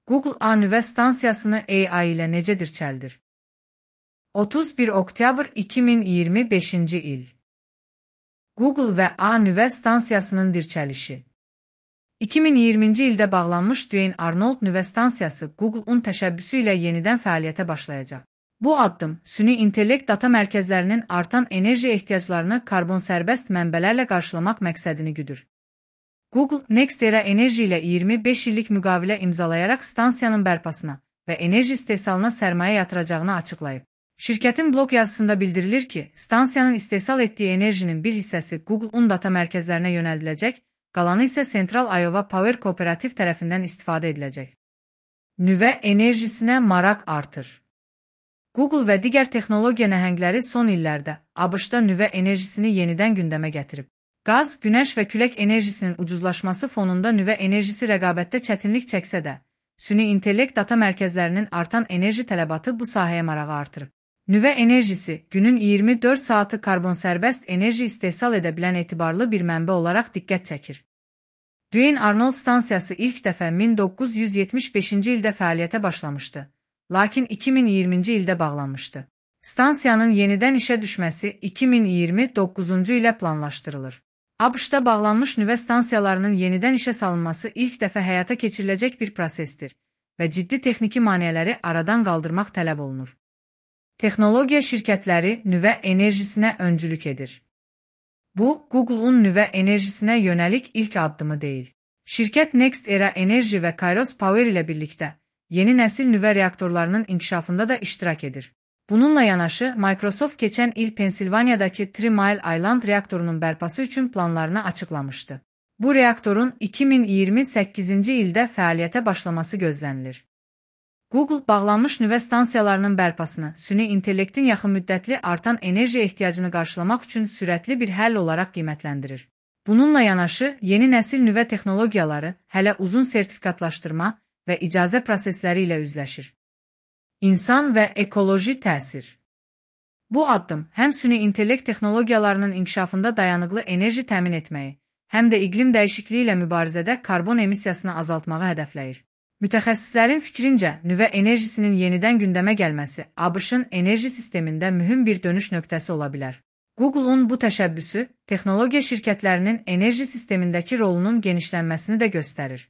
Google A nüvə stansiyasını AI ilə necə dirçəldir? 31 oktyabr 2025-ci il. Google və A nüvə stansiyasının dirçəlişi. 2020-ci ildə bağlanmış Duane Arnold nüvə stansiyası Google-un təşəbbüsü ilə yenidən fəaliyyətə başlayacaq. Bu addım, süni intellekt data mərkəzlərinin artan enerji ehtiyaclarını karbon sərbəst mənbələrlə qarşılamaq məqsədini güdür. Google, NextEra Enerji ilə 25 illik müqavilə imzalayaraq stansiyanın bərpasına və enerji istehsalına sərmayə yatıracağını açıqlayıb. Şirkətin blog yazısında bildirilir ki, stansiyanın istehsal etdiyi enerjinin bir hissəsi Google-un data mərkəzlərinə yönəldiləcək, qalanı isə Central Iowa Power Kooperativ tərəfindən istifadə ediləcək. Nüvə enerjisinə maraq artır. Google və digər texnologiya nəhəngləri son illərdə ABŞ-da nüvə enerjisini yenidən gündəmə gətirib. Qaz, günəş və külək enerjisinin ucuzlaşması fonunda nüvə enerjisi rəqabətdə çətinlik çəksə də, süni intellekt data mərkəzlərinin artan enerji tələbatı bu sahəyə marağı artırıb. Nüvə enerjisi, günün 24 saatı karbon sərbəst enerji istehsal edə bilən etibarlı bir mənbə olaraq diqqət çəkir. Duane Arnold stansiyası ilk dəfə 1975-ci ildə fəaliyyətə başlamışdı, lakin 2020-ci ildə bağlanmışdı. Stansiyanın yenidən işə düşməsi 2029-cu ilə planlaşdırılır. ABŞ-da bağlanmış nüvə stansiyalarının yenidən işə salınması ilk dəfə həyata keçiriləcək bir prosesdir və ciddi texniki maneələri aradan qaldırmaq tələb olunur. Texnologiya şirkətləri nüvə enerjisinə öncülük edir. Bu, Google-un nüvə enerjisinə yönəlik ilk addımı deyil. Şirkət NextEra Enerji və Kairos Power ilə birlikdə yeni nəsil nüvə reaktorlarının inkişafında da iştirak edir. Bununla yanaşı, Microsoft keçən il Pensilvaniyadakı Three Mile Island reaktorunun bərpası üçün planlarını açıqlamışdı. Bu reaktorun 2028-ci ildə fəaliyyətə başlaması gözlənilir. Google, bağlanmış nüvə stansiyalarının bərpasını süni intellektin yaxın müddətli artan enerji ehtiyacını qarşılamaq üçün sürətli bir həll olaraq qiymətləndirir. Bununla yanaşı, yeni nəsil nüvə texnologiyaları hələ uzun sertifikatlaşdırma və icazə prosesləri ilə üzləşir. İnsan və ekoloji təsir. Bu addım həm süni intellekt texnologiyalarının inkişafında dayanıqlı enerji təmin etməyi, həm də iqlim dəyişikliyi ilə mübarizədə karbon emissiyasını azaltmağı hədəfləyir. Mütəxəssislərin fikrincə, nüvə enerjisinin yenidən gündəmə gəlməsi ABŞ-ın enerji sistemində mühüm bir dönüş nöqtəsi ola bilər. Google-un bu təşəbbüsü, texnologiya şirkətlərinin enerji sistemindəki rolunun genişlənməsini də göstərir.